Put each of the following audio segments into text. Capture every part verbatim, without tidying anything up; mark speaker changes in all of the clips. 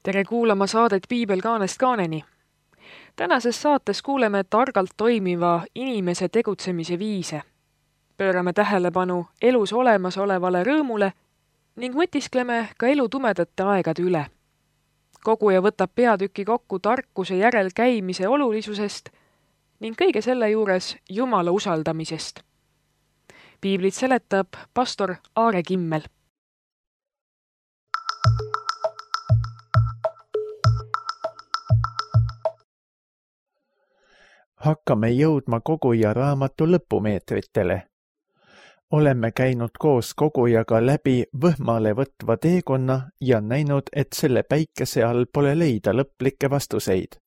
Speaker 1: Tere kuulama saadet Piibel kaanest kaaneni. Tänases saates kuuleme targalt toimiva inimese tegutsemise viise. Pöörame tähelepanu elus olemasolevale rõõmule ning mõtiskleme ka elu tumedate aegade üle. Koguja võtab peatüki kokku tarkuse järel käimise olulisusest ning kõige selle juures Jumala usaldamisest. Piiblit seletab pastor Aare Kimmel.
Speaker 2: Hakkame jõudma koguja raamatu lõpumeetritele. Oleme käinud koos kogujaga läbi võhmale võtva teekonna ja näinud, et selle päikese all pole leida lõplikke vastuseid.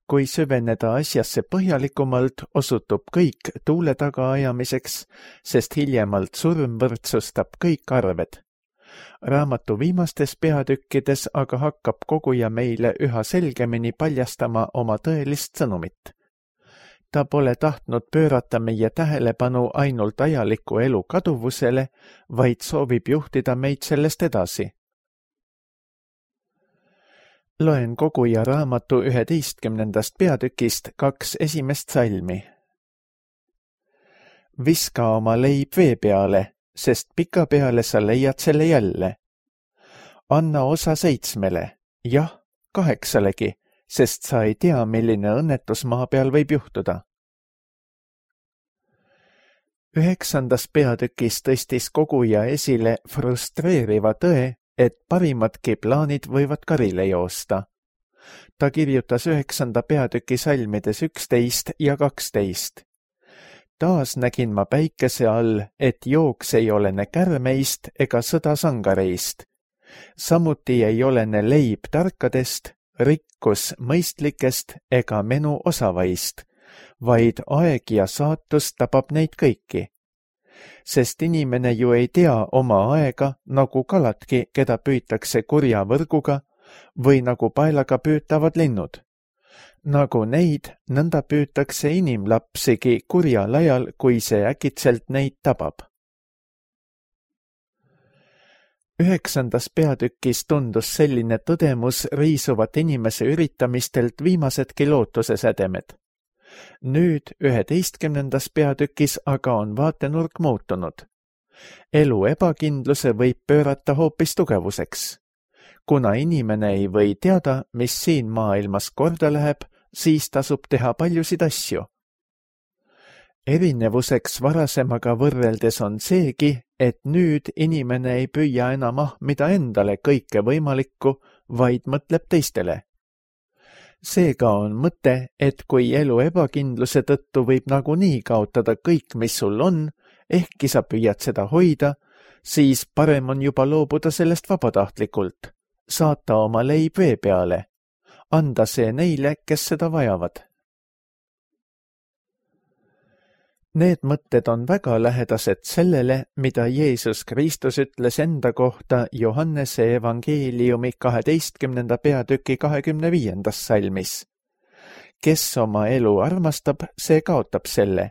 Speaker 2: Kui süveneda asjasse põhjalikumalt, osutub kõik tuule taga ajamiseks, sest hiljemalt surm võrdsustab kõik arved. Raamatu viimastes peatükkides aga hakkab koguja meile üha selgemini paljastama oma tõelist sõnumit. Ta pole tahtnud pöörata meie tähelepanu ainult ajaliku elu kaduvusele, vaid soovib juhtida meid sellest edasi. Loen koguja raamatu üheteistkümnendast peatükist kaks esimest salmi. Viska oma leib vee peale, sest pika peale sa leiad selle jälle. Anna osa seitsmele, jah, kaheksalegi, sest sa ei tea, milline õnnetus maa peal võib juhtuda. Üheksandas peatükis tõstis koguja esile frustreeriva tõe, et parimadki plaanid võivad karile joosta. Ta kirjutas üheksanda peatüki salmides üksteist ja kaksteist. Taas nägin ma päikese all, et jooks ei olene kärmeist ega sõda sangareist. Samuti ei olene leib tarkadest, rikkus mõistlikest ega menu osavaist, vaid aeg ja saatus tabab neid kõiki. Sest inimene ju ei tea oma aega, nagu kaladki, keda püütakse kurja võrguga või nagu paelaga püütavad linnud. Nagu neid, nõnda püütakse inimlapsigi kurjal ajal, kui see äkitselt neid tabab. Üheksandas peatükis tundus selline tõdemus riisuvat inimese üritamistelt viimasedki lootuse sädemed. Nüüd üheteistkümnendas peatükis aga on vaatenurk muutunud. Elu ebakindluse võib pöörata hoopis tugevuseks. Kuna inimene ei või teada, mis siin maailmas korda läheb, siis tasub teha paljusid asju. Erinevuseks varasemaga võrreldes on seegi, et nüüd inimene ei püüa enam ahmida endale kõike võimalikku, vaid mõtleb teistele. Seega on mõte, et kui elu ebakindluse tõttu võib nagunii kaotada kõik, mis sul on, ehkki sa püüad seda hoida, siis parem on juba loobuda sellest vabatahtlikult, saata oma leib vee peale, anda see neile, kes seda vajavad. Need mõtted on väga lähedased sellele, mida Jeesus Kristus ütles enda kohta Johannese evangeeliumi kaheteistkümnenda peatüki kahekümne viiendas salmis. Kes oma elu armastab, see kaotab selle,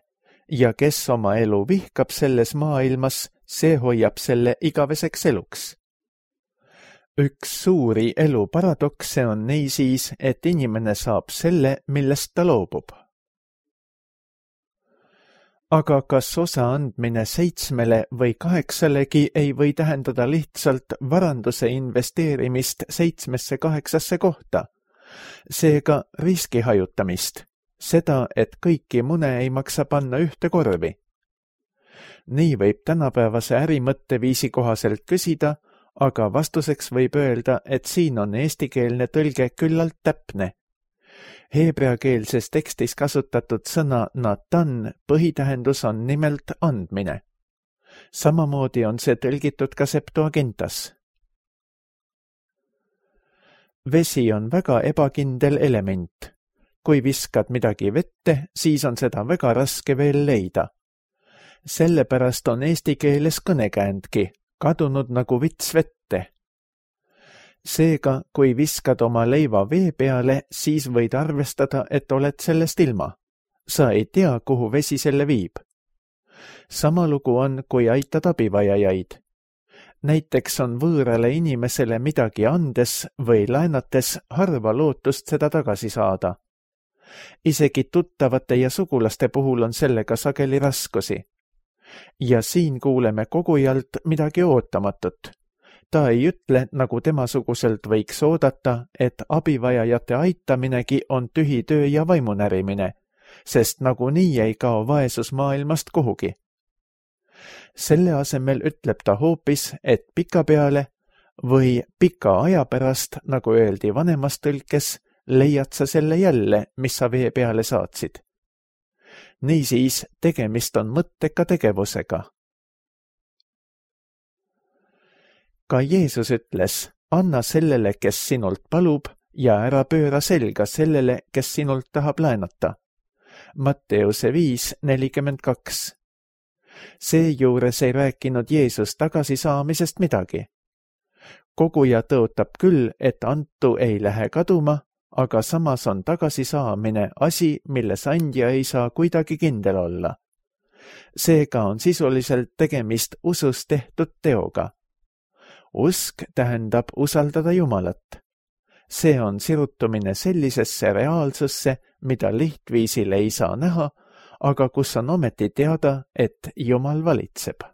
Speaker 2: ja kes oma elu vihkab selles maailmas, see hoiab selle igaveseks eluks. Üks suuri elu paradokse on niisiis, et inimene saab selle, millest ta loobub. Aga kas osa andmine seitsmele või kaheksalegi ei või tähendada lihtsalt varanduse investeerimist seitsmesse kaheksasse kohta? Seega riski hajutamist, seda, et kõiki mune ei maksa panna ühte korvi. Nii võib tänapäevase ärimõtteviisi kohaselt küsida, aga vastuseks võib öelda, et siin on eestikeelne tõlge küllalt täpne. Heebreakeelses tekstis kasutatud sõna natan põhitähendus on nimelt andmine. Samamoodi on see tõlgitud ka Septuagintas. Vesi on väga ebakindel element. Kui viskad midagi vette, siis on seda väga raske veel leida. Sellepärast on eesti keeles kõnekäändki, kadunud nagu vits vette. Seega, kui viskad oma leiva vee peale, siis võid arvestada, et oled sellest ilma. Sa ei tea, kuhu vesi selle viib. Sama lugu on, kui aitad abivajajaid. Näiteks on võõrale inimesele midagi andes või laenates harva lootust seda tagasi saada. Isegi tuttavate ja sugulaste puhul on sellega sageli raskusi. Ja siin kuuleme kogujalt midagi ootamatut. Ta ei ütle, nagu temasuguselt võiks oodata, et abivajajate aitaminegi on tühi töö ja vaimunärimine, sest nagunii ei kao vaesus maailmast kuhugi. Selle asemel ütleb ta hoopis, et pikapeale või pika aja pärast, nagu öeldi vanemas tõlkes, leiad sa selle jälle, mis sa vee peale saatsid. Niisiis, tegemist on mõtteka tegevusega. Ka Jeesus ütles, anna sellele, kes sinult palub, ja ära pööra selga sellele, kes sinult tahab laenata. Matteuse viis nelikümmend kaks. Seejuures ei rääkinud Jeesus tagasisaamisest midagi. Koguja tõotab küll, et antu ei lähe kaduma, aga samas on tagasisaamine asi, milles andja ei saa kuidagi kindel olla. Seega on sisuliselt tegemist usus tehtud teoga. Usk tähendab usaldada Jumalat. See on sirutumine sellisesse reaalsusse, mida lihtviisil ei saa näha, aga kus on ometi teada, et Jumal valitseb.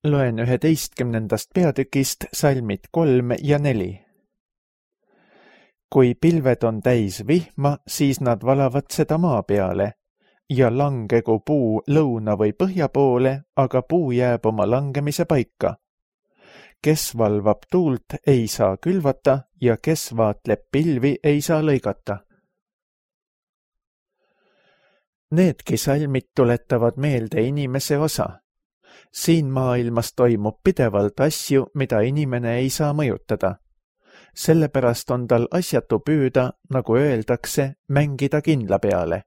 Speaker 2: Loen üheteistkümnendast peatükist salmid kolm ja neli. Kui pilved on täis vihma, siis nad valavad seda maa peale, ja langegu puu lõuna või põhja poole, aga puu jääb oma langemise paika. Kes valvab tuult, ei saa külvata, ja kes vaatleb pilvi, ei saa lõigata. Needki salmid tuletavad meelde inimese osa. Siin maailmas toimub pidevalt asju, mida inimene ei saa mõjutada. Sellepärast on tal asjatu püüda, nagu öeldakse, mängida kindla peale.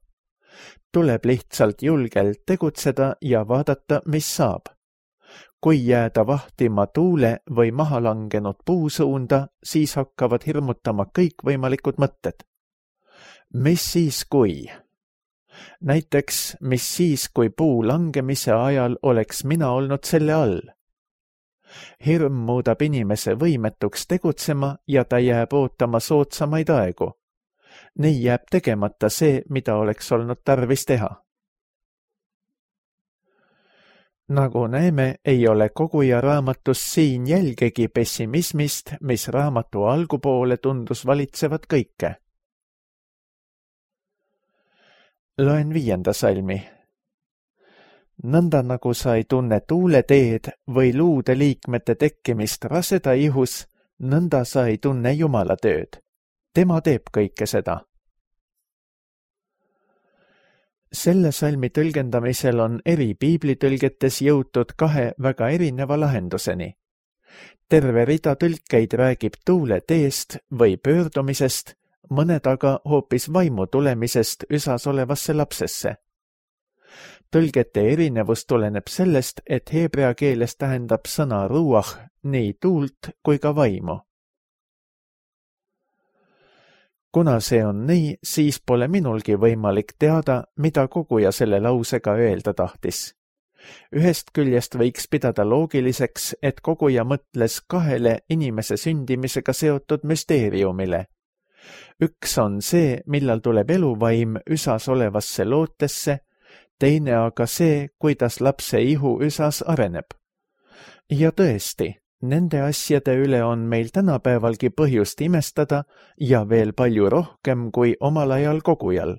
Speaker 2: Tuleb lihtsalt julgelt tegutseda ja vaadata, mis saab. Kui jääda vahtima tuule või maha langenud puusuunda, siis hakkavad hirmutama kõikvõimalikud mõtted. Mis siis kui? Näiteks, mis siis, kui puu langemise ajal oleks mina olnud selle all? Hirm muudab inimese võimetuks tegutsema ja ta jääb ootama soodsamaid aegu. Nii jääb tegemata see, mida oleks olnud tarvis teha. Nagu näeme, ei ole koguja raamatus siin jälgegi pessimismist, mis raamatu algupoole tundus valitsevat kõike. Loen viienda salmi. Nõnda nagu sa ei tunne tuuleteed või luude liikmete tekkimist raseda ihus, nõnda sa ei tunne Jumala tööd. Tema teeb kõike seda. Selle salmi tõlgendamisel on eri piiblitõlgetes jõutud kahe väga erineva lahenduseni. Terve rida tõlkeid räägib tuuleteest või pöördumisest, mõned aga hoopis vaimu tulemisest üsas olevasse lapsesse. Tõlgete erinevus tuleneb sellest, et heebrea keeles tähendab sõna ruach nii tuult kui ka vaimu. Kuna see on nii, siis pole minulgi võimalik teada, mida koguja selle lausega öelda tahtis. Ühest küljest võiks pidada loogiliseks, et koguja mõtles kahele inimese sündimisega seotud müsteeriumile. Üks on see, millal tuleb eluvaim üsas olevasse lootesse, teine aga see, kuidas lapse ihu üsas areneb. Ja tõesti, nende asjade üle on meil tänapäevalgi põhjust imestada ja veel palju rohkem kui omal ajal kogujal.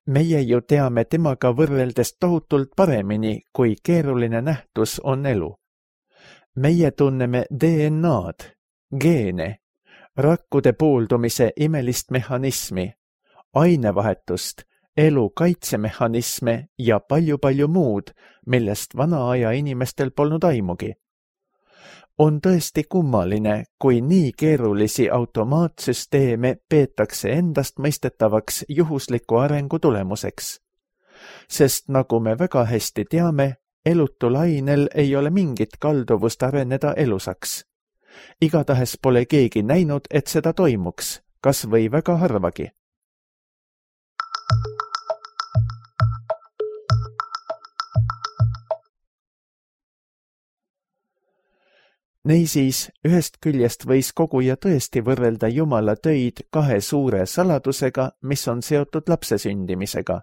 Speaker 2: Meie ju teame temaga võrreldes tohutult paremini, kui keeruline nähtus on elu. Meie tunneme D N A-d, geene, rakkude pooldumise imelist mehhanismi, ainevahetust, elu kaitsemehhanisme ja palju-palju muud, millest vana aja inimestel polnud aimugi. On tõesti kummaline, kui nii keerulisi automaatsüsteeme peetakse endast mõistetavaks juhusliku arengu tulemuseks. Sest nagu me väga hästi teame, elutul ainel ei ole mingit kalduvust areneda elusaks. Igatahes pole keegi näinud, et seda toimuks, kas või väga harvagi. Niisiis, ühest küljest võis koguja tõesti võrrelda Jumala töid kahe suure saladusega, mis on seotud lapse sündimisega.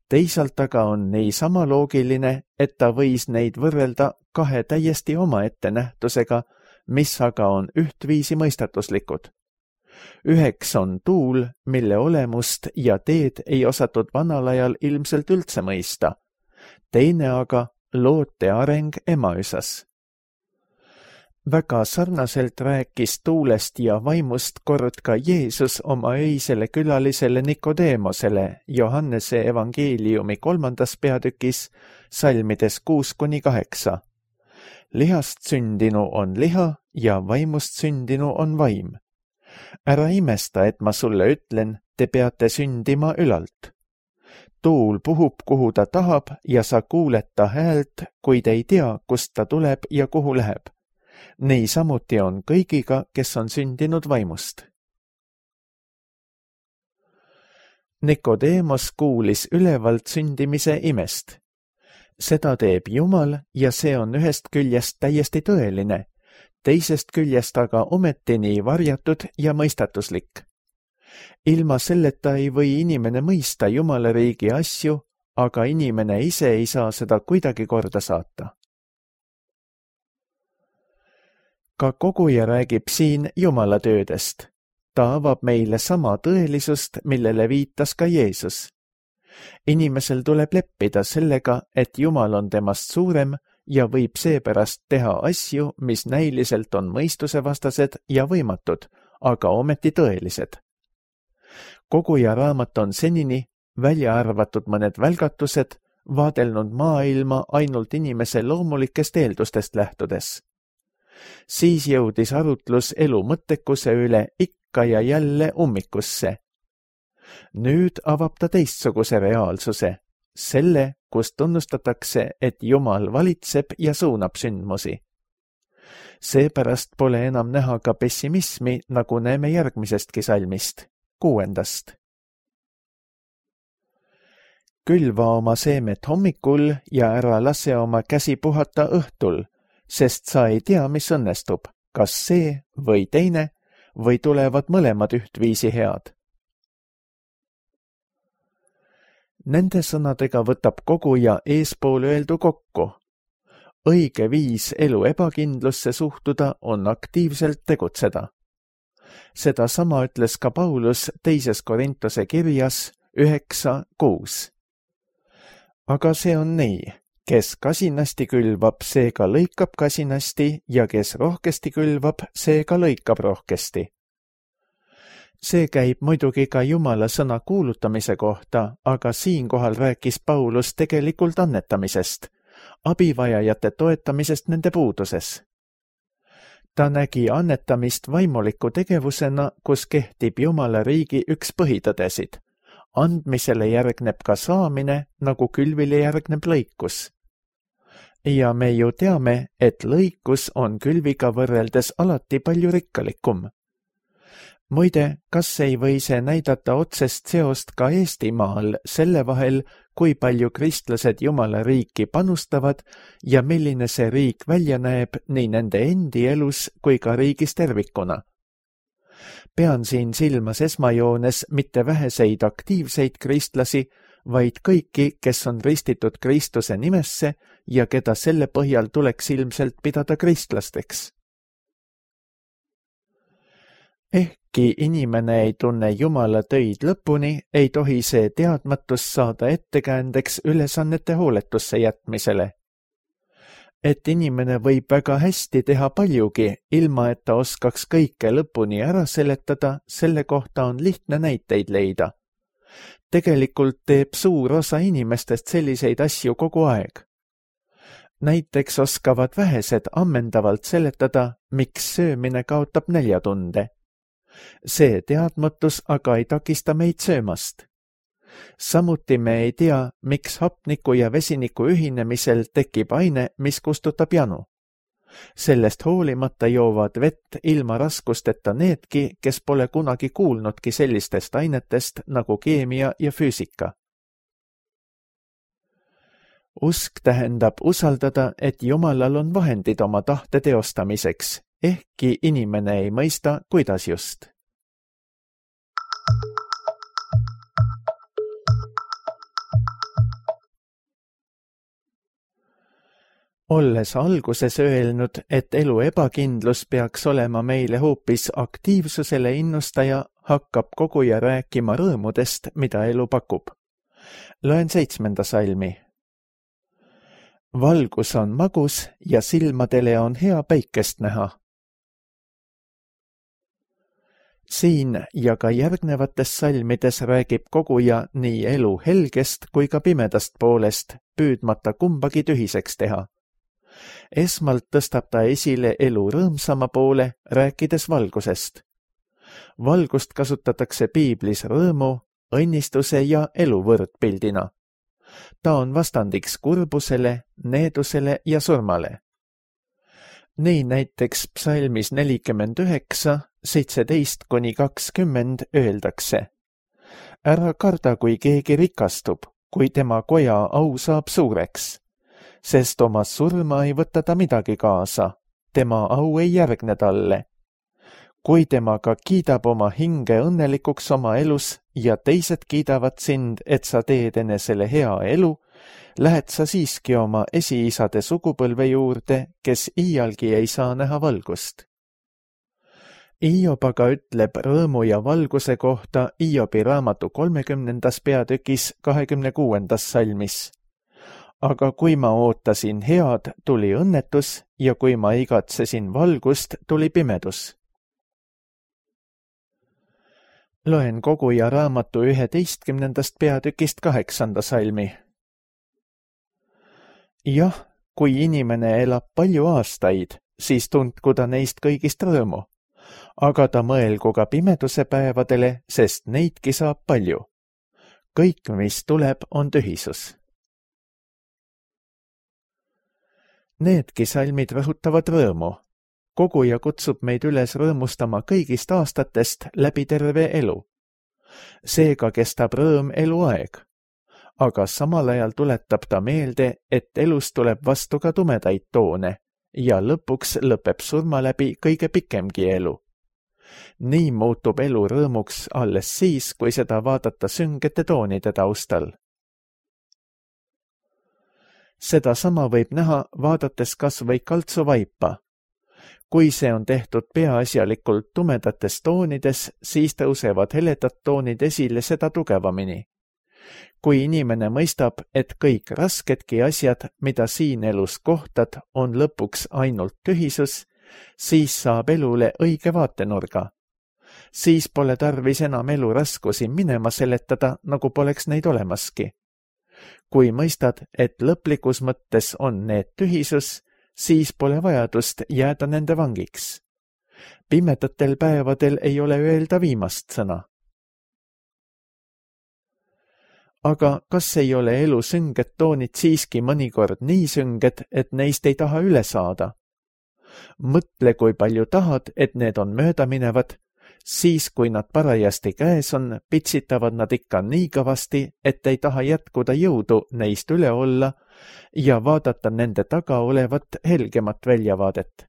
Speaker 2: Teisalt aga on niisama loogiline, et ta võis neid võrrelda kahe täiesti omaette nähtusega, mis aga on ühtviisi mõistatuslikud. Üheks on tuul, mille olemust ja teed ei osatud vanal ajal ilmselt üldse mõista. Teine aga loote areng emaüsas. Väga sarnaselt rääkis tuulest ja vaimust kord ka Jeesus oma öisele külalisele Nikodeemosele Johannese evangeeliumi kolmandas peatükis salmides kuus kuni kaheksa. Lihast sündinu on liha ja vaimust sündinu on vaim. Ära imesta, et ma sulle ütlen, te peate sündima ülalt. Tuul puhub, kuhu ta tahab ja sa kuuled ta häält, kuid ei tea, kust ta tuleb ja kuhu läheb. Nii samuti on kõigiga, kes on sündinud vaimust. Nikodeemos kuulis ülevalt sündimise imest. Seda teeb Jumal ja see on ühest küljest täiesti tõeline, teisest küljest aga ometi nii varjatud ja mõistatuslik. Ilma selleta ei või inimene mõista Jumala riigi asju, aga inimene ise ei saa seda kuidagi korda saata. Ka koguja räägib siin Jumala töödest. Ta avab meile sama tõelisust, millele viitas ka Jeesus. Inimesel tuleb leppida sellega, et Jumal on temast suurem ja võib seepärast teha asju, mis näiliselt on mõistusevastased ja võimatud, aga ometi tõelised. Koguja raamat on senini, välja arvatud mõned välgatused, vaadelnud maailma ainult inimese loomulikest eeldustest lähtudes. Siis jõudis arutlus elu mõttekuse üle ikka ja jälle ummikusse. Nüüd avab ta teistsuguse reaalsuse, selle, kus tunnustatakse, et Jumal valitseb ja suunab sündmusi. Seepärast pole enam näha ka pessimismi, nagu näeme järgmisestki salmist, kuuendast. Külva oma seemet hommikul ja ära lase oma käsi puhata õhtul, sest sa ei tea, mis õnnestub, kas see või teine, või tulevad mõlemad ühtviisi head. Nende sõnadega võtab koguja eespool öeldu kokku. Õige viis elu ebakindlusse suhtuda on aktiivselt tegutseda. Seda sama ütles ka Paulus teises Korintuse kirjas üheksa kuus. Aga see on nii. Kes kasinasti külvab, see ka lõikab kasinasti ja kes rohkesti külvab, see ka lõikab rohkesti. See käib muidugi ka Jumala sõna kuulutamise kohta, aga siinkohal rääkis Paulus tegelikult annetamisest, abivajajate toetamisest nende puuduses. Ta nägi annetamist vaimuliku tegevusena, kus kehtib Jumala riigi üks põhitõdesid. Andmisele järgneb ka saamine, nagu külvile järgneb lõikus. Ja me ju teame, et lõikus on külviga võrreldes alati palju rikkalikum. Muide, kas ei või see näidata otsest seost ka Eestimaal selle vahel, kui palju kristlased Jumala riiki panustavad ja milline see riik välja näeb nii nende endi elus kui ka riigis tervikuna? Pean siin silmas esmajoones mitte väheseid aktiivseid kristlasi, vaid kõiki, kes on ristitud Kristuse nimesse ja keda selle põhjal tuleks ilmselt pidada kristlasteks. Ehkki inimene ei tunne Jumala töid lõpuni, ei tohi see teadmatus saada ettekäändeks ülesannete hooletusse jätmisele. Et inimene võib väga hästi teha paljugi, ilma et ta oskaks kõike lõpuni ära seletada, selle kohta on lihtne näiteid leida. Tegelikult teeb suur osa inimestest selliseid asju kogu aeg. Näiteks oskavad vähesed ammendavalt seletada, miks söömine kaotab näljatunde. See teadmatus aga ei takista meid söömast. Samuti me ei tea, miks hapniku ja vesiniku ühinemisel tekib aine, mis kustutab janu. Sellest hoolimata joovad vett ilma raskusteta needki, kes pole kunagi kuulnudki sellistest ainetest nagu keemia ja füüsika. Usk tähendab usaldada, et Jumalal on vahendid oma tahte teostamiseks, ehkki inimene ei mõista, kuidas just. Olles alguses öelnud, et elu ebakindlus peaks olema meile hoopis aktiivsusele innustaja, hakkab koguja rääkima rõõmudest, mida elu pakub. Loen seitsmenda salmi. Valgus on magus ja silmadele on hea päikest näha. Siin ja ka järgnevates salmides räägib koguja nii elu helgest kui ka pimedast poolest, püüdmata kumbagi tühiseks teha. Esmalt tõstab ta esile elu rõõmsama poole, rääkides valgusest. Valgust kasutatakse piiblis rõõmu, õnnistuse ja elu võrdpildina. Ta on vastandiks kurbusele, needusele ja surmale. Nii näiteks psalmis nelikümmend üheksa, seitseteist kuni kakskümmend öeldakse. Ära karda, kui keegi rikastub, kui tema koja au saab suureks. Sest oma surma ei võta ta midagi kaasa, tema au ei järgne talle. Kui temaga kiidab oma hinge õnnelikuks oma elus ja teised kiidavad sind, et sa teed enesele hea elu, lähed sa siiski oma esiisade sugupõlve juurde, kes iialgi ei saa näha valgust. Hiob aga ütleb rõõmu ja valguse kohta Hiobi raamatu kolmekümnendas peatükis kahekümne kuuendas salmis. Aga kui ma ootasin head, tuli õnnetus ja kui ma igatsesin valgust, tuli pimedus. Loen koguja raamatu üheteistkümnendast peatükist kaheksanda salmi. Jah, kui inimene elab palju aastaid, siis tundku ta neist kõigist rõõmu, aga ta mõelgu ka pimeduse päevadele, sest neidki saab palju. Kõik, mis tuleb, on tühisus. Needki salmid rõhutavad rõõmu. Koguja kutsub meid üles rõõmustama kõigist aastatest läbi terve elu. Seega kestab rõõm eluaeg. Aga samal ajal tuletab ta meelde, et elus tuleb vastu ka tumedaid toone ja lõpuks lõpeb surma läbi kõige pikemgi elu. Nii muutub elu rõõmuks alles siis, kui seda vaadata süngete toonide taustal. Seda sama võib näha, vaadates kas või kaltsuvaipa. Kui see on tehtud peaasjalikult tumedates toonides, siis tõusevad heledad toonid esile seda tugevamini. Kui inimene mõistab, et kõik rasketki asjad, mida siin elus kohtad, on lõpuks ainult tühisus, siis saab elule õige vaatenurga. Siis pole tarvis enam elu raskusi minema seletada, nagu poleks neid olemaski. Kui mõistad, et lõplikus mõttes on need tühisus, siis pole vajadust jääda nende vangiks. Pimedatel päevadel ei ole öelda viimast sõna. Aga kas ei ole elu sünged toonid siiski mõnikord nii sünged, et neist ei taha üle saada? Mõtle, kui palju tahad, et need on möödaminevad, siis kui nad parajasti käes on, pitsitavad nad ikka nii kõvasti, et ei taha jätkuda jõudu neist üle olla ja vaadata nende taga olevat helgemat väljavaadet.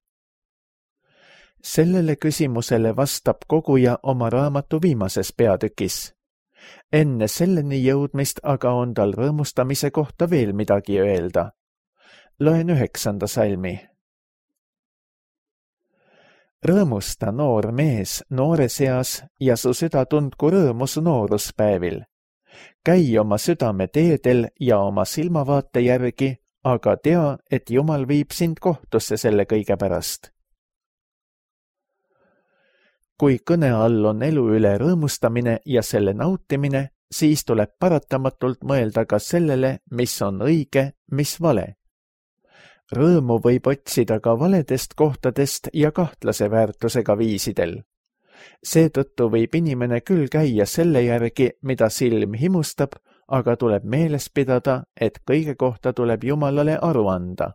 Speaker 2: Sellele küsimusele vastab koguja oma raamatu viimases peatükis. Enne selleni jõudmist aga on tal rõõmustamise kohta veel midagi öelda. Loen üheksanda salmi. Rõõmusta, noor mees, noores eas ja su süda tundku rõõmu su nooruspäevil. Käi oma südame teedel ja oma silmavaate järgi, aga tea, et Jumal viib sind kohtusse selle kõige pärast. Kui kõne all on elu üle rõõmustamine ja selle nautimine, siis tuleb paratamatult mõelda ka sellele, mis on õige, mis vale. Rõõmu võib otsida ka valedest kohtadest ja kahtlase väärtusega viisidel. Seetõttu võib inimene küll käia selle järgi, mida silm himustab, aga tuleb meeles pidada, et kõige kohta tuleb Jumalale aru anda.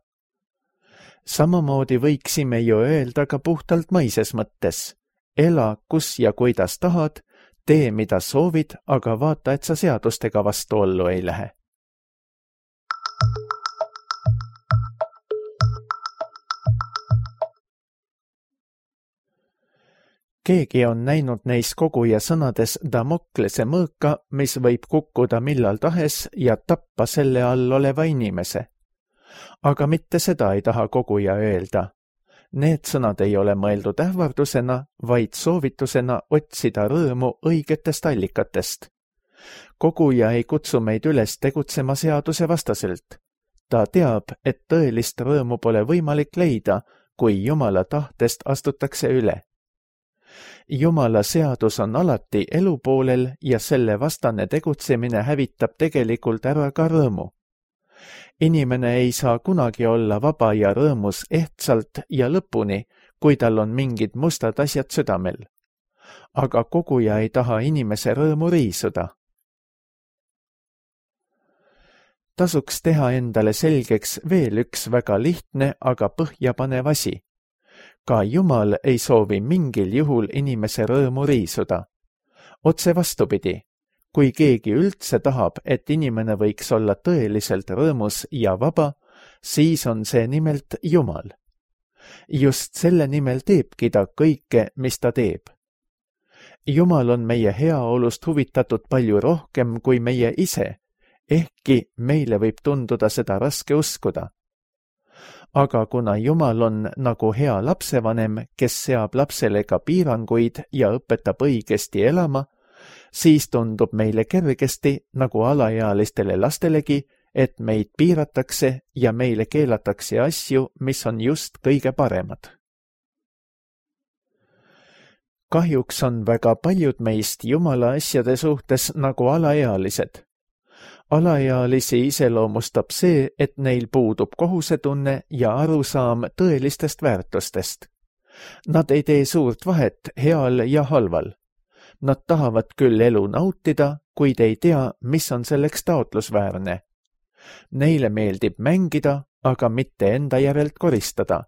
Speaker 2: Samamoodi võiksime ju öelda ka puhtalt maises mõttes. Ela, kus ja kuidas tahad, tee, mida soovid, aga vaata, et sa seadustega vastuollu ei lähe. keegi on näinud neis koguja sõnades Damoklese mõõka, mis võib kukkuda millal tahes ja tappa selle all oleva inimese. Aga mitte seda ei taha koguja öelda. Need sõnad ei ole mõeldud ähvardusena, vaid soovitusena otsida rõõmu õigetest allikatest. Koguja ei kutsu meid üles tegutsema seaduse vastaselt. Ta teab, et tõelist rõõmu pole võimalik leida, kui Jumala tahtest astutakse üle. Jumala seadus on alati elu poolel ja selle vastane tegutsemine hävitab tegelikult ära ka rõõmu. Inimene ei saa kunagi olla vaba ja rõõmus ehtsalt ja lõpuni, kui tal on mingid mustad asjad südamel. Aga koguja ei taha inimese rõõmu riisuda. Tasuks teha endale selgeks veel üks väga lihtne, aga põhjapanev asi. Ka Jumal ei soovi mingil juhul inimese rõõmu riisuda. Otse vastupidi, kui keegi üldse tahab, et inimene võiks olla tõeliselt rõõmus ja vaba, siis on see nimelt Jumal. Just selle nimel teebki ta kõike, mis ta teeb. Jumal on meie heaolust huvitatud palju rohkem kui meie ise, ehkki meile võib tunduda seda raske uskuda. Aga kuna Jumal on nagu hea lapsevanem, kes seab lapsele ka piiranguid ja õpetab õigesti elama, siis tundub meile kergesti, nagu alaealistele lastelegi, et meid piiratakse ja meile keelatakse asju, mis on just kõige paremad. Kahjuks on väga paljud meist Jumala asjade suhtes nagu alaealised. Alaealisi iseloomustab see, et neil puudub kohusetunne ja arusaam tõelistest väärtustest. Nad ei tee suurt vahet heal ja halval. Nad tahavad küll elu nautida, kuid ei tea, mis on selleks taotlusväärne. Neile meeldib mängida, aga mitte enda järelt koristada.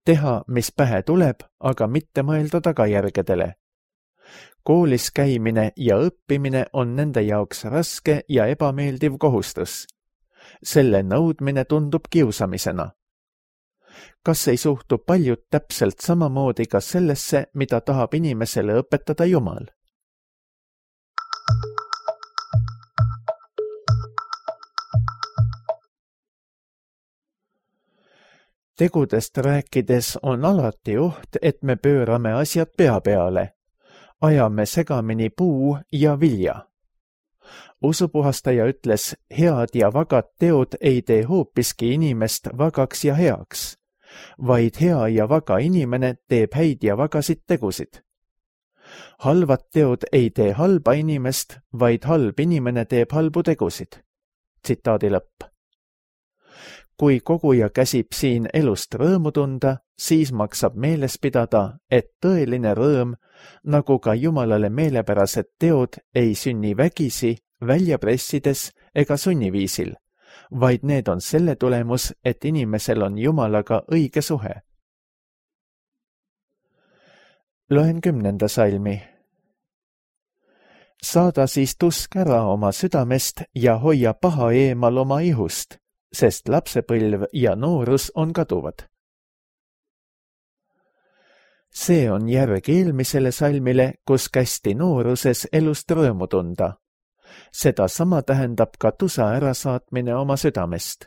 Speaker 2: Teha, mis pähe tuleb, aga mitte mõelda tagajärgedele. Koolis käimine ja õppimine on nende jaoks raske ja ebameeldiv kohustus. Selle nõudmine tundub kiusamisena. Kas ei suhtu paljud täpselt samamoodi ka sellesse, mida tahab inimesele õpetada Jumal? Tegudest rääkides on alati oht, et me pöörame asjad pea peale. Ajame segamini puu ja vilja. Usupuhastaja ütles, head ja vagad teod ei tee hoopiski inimest vagaks ja heaks, vaid hea ja vaga inimene teeb häid ja vagasid tegusid. Halvad teod ei tee halba inimest, vaid halb inimene teeb halbu tegusid. Tsitaadi lõpp. Kui koguja käsib siin elust rõõmu tunda, siis maksab meeles pidada, et tõeline rõõm, nagu ka Jumalale meelepärased teod, ei sünni vägisi, välja pressides ega sunniviisil, vaid need on selle tulemus, et inimesel on Jumalaga õige suhe. Loen kümnenda salmi. Saada siis tusk ära oma südamest ja hoia paha eemal oma ihust, sest lapsepõlv ja noorus on kaduvad. See on järg eelmisele salmile, kus kästi nooruses elust rõõmu tunda. Seda sama tähendab ka tusa ärasaatmine oma südamest.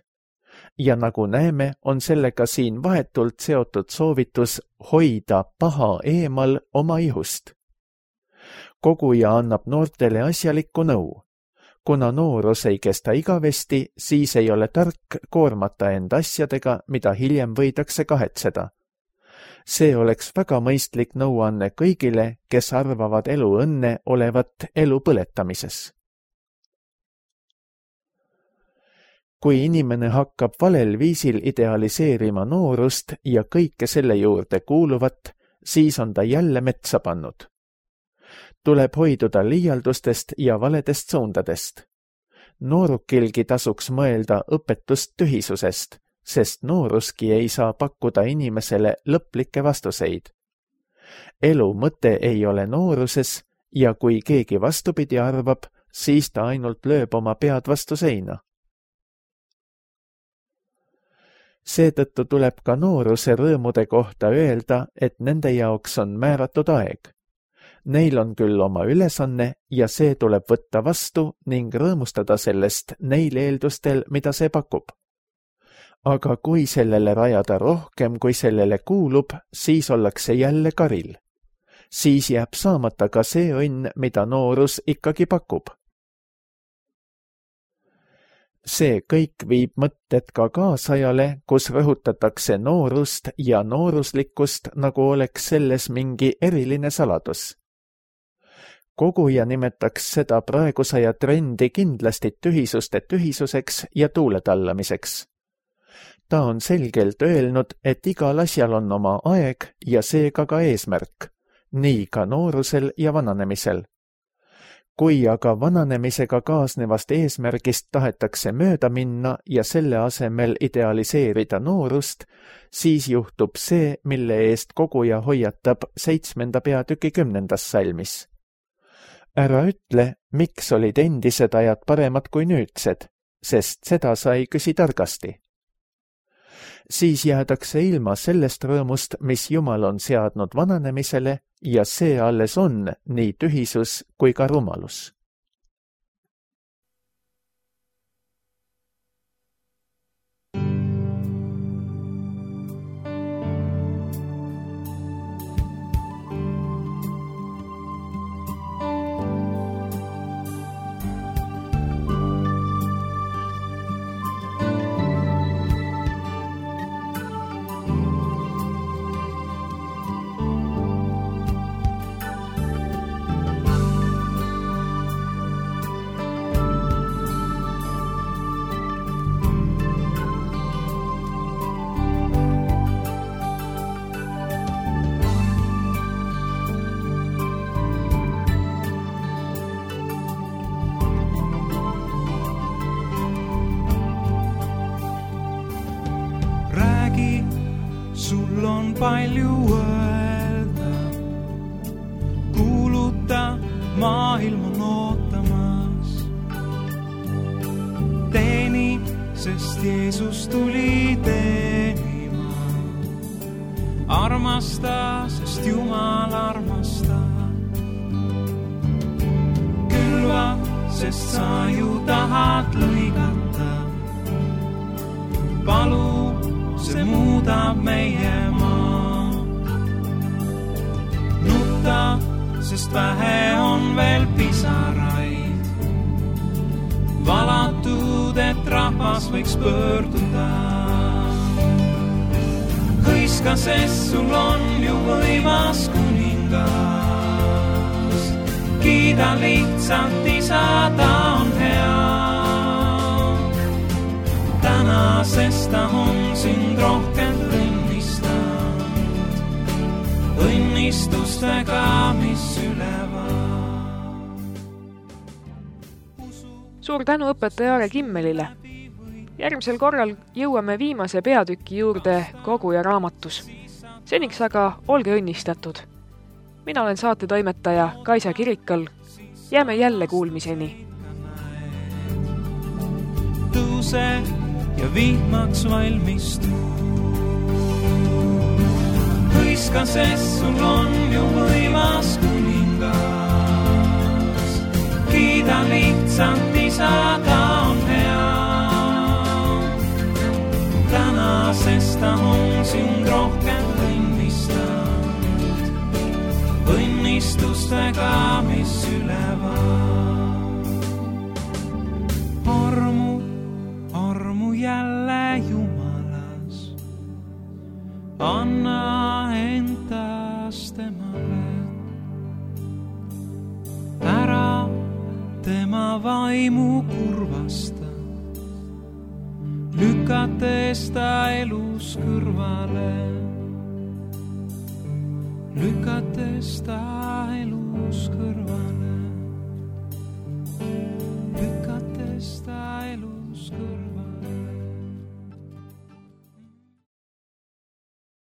Speaker 2: Ja nagu näeme, on sellega siin vahetult seotud soovitus hoida paha eemal oma ihust. Koguja annab noortele asjalikku nõu. Kuna noorus ei kesta igavesti, siis ei ole tark koormata end asjadega, mida hiljem võidakse kahetseda. See oleks väga mõistlik nõuanne kõigile, kes arvavad elu õnne olevat elu põletamises. Kui inimene hakkab valel viisil idealiseerima noorust ja kõike selle juurde kuuluvat, siis on ta jälle metsa pannud. Tuleb hoiduda liialdustest ja valedest suundadest. Noorukilgi tasuks mõelda õpetust tühisusest, sest nooruski ei saa pakkuda inimesele lõplikke vastuseid. Elu mõte ei ole nooruses ja kui keegi vastupidi arvab, siis ta ainult lööb oma pead vastu seina. Seetõttu tuleb ka nooruse rõõmude kohta öelda, et nende jaoks on määratud aeg. Neil on küll oma ülesanne ja see tuleb võtta vastu ning rõõmustada sellest neil eeldustel, mida see pakub. Aga kui sellele rajada rohkem, kui sellele kuulub, siis ollakse jälle karil. Siis jääb saamata ka see õnn, mida noorus ikkagi pakub. See kõik viib mõtted ka kaasajale, kus rõhutatakse noorust ja nooruslikkust, nagu oleks selles mingi eriline saladus. Koguja nimetaks seda praegusaja trendi kindlasti tühisuste tühisuseks ja tuuletallamiseks. Ta on selgelt öelnud, et igal asjal on oma aeg ja seega ka eesmärk, nii ka noorusel ja vananemisel. Kui aga vananemisega kaasnevast eesmärgist tahetakse mööda minna ja selle asemel idealiseerida noorust, siis juhtub see, mille eest koguja hoiatab seitsmenda peatüki kümnendas salmis. Ära ütle, miks olid endised ajad paremad kui nüüdsed, sest seda sai küsi targasti. Siis jäädakse ilma sellest rõõmust, mis Jumal on seadnud vananemisele, ja see alles on nii tühisus kui ka rumalus.
Speaker 3: Sul on palju öelda, kuuluta, maailm on ootamas. Teeni, sest Jeesus tuli teenima. Armasta, sest Jumal armastab. Külva, sest sa ju tahad lõigata. Palu, see muudab meie maa. Nutta, sest vähe on veel pisaraid. Valatud, et rahvas võiks pöörduda. Hõiska, sest sul on ju võimas kuningas. Kiida lihtsalt isa, ta on hea. Täna, sest ta on sind rohkem õnnistanud, õnnistustega, mis ülevad.
Speaker 1: Suur tänu õpetaja Aare Kimmelile. Järgmisel korral jõuame viimase peatüki juurde koguja raamatus. Seniks aga olge õnnistatud. Mina olen saate toimetaja Kaisa Kirikal. Jääme jälle kuulmiseni.
Speaker 3: Tõuse ja vihmaks valmistu. Hõiska, sest sul on ju võimas kuningas. Kiida lihtsalt isa, ta on hea. Täna, sest ta on sind rohkem õnnistanud, õnnistustega, mis ülevad. Armu jälle Jumalas, anna endast temale. Ära tema vaimu kurvasta, lükates ta elus kõrvale. Lükates ta elus kõrvale. Lükates ta elus kõrvale.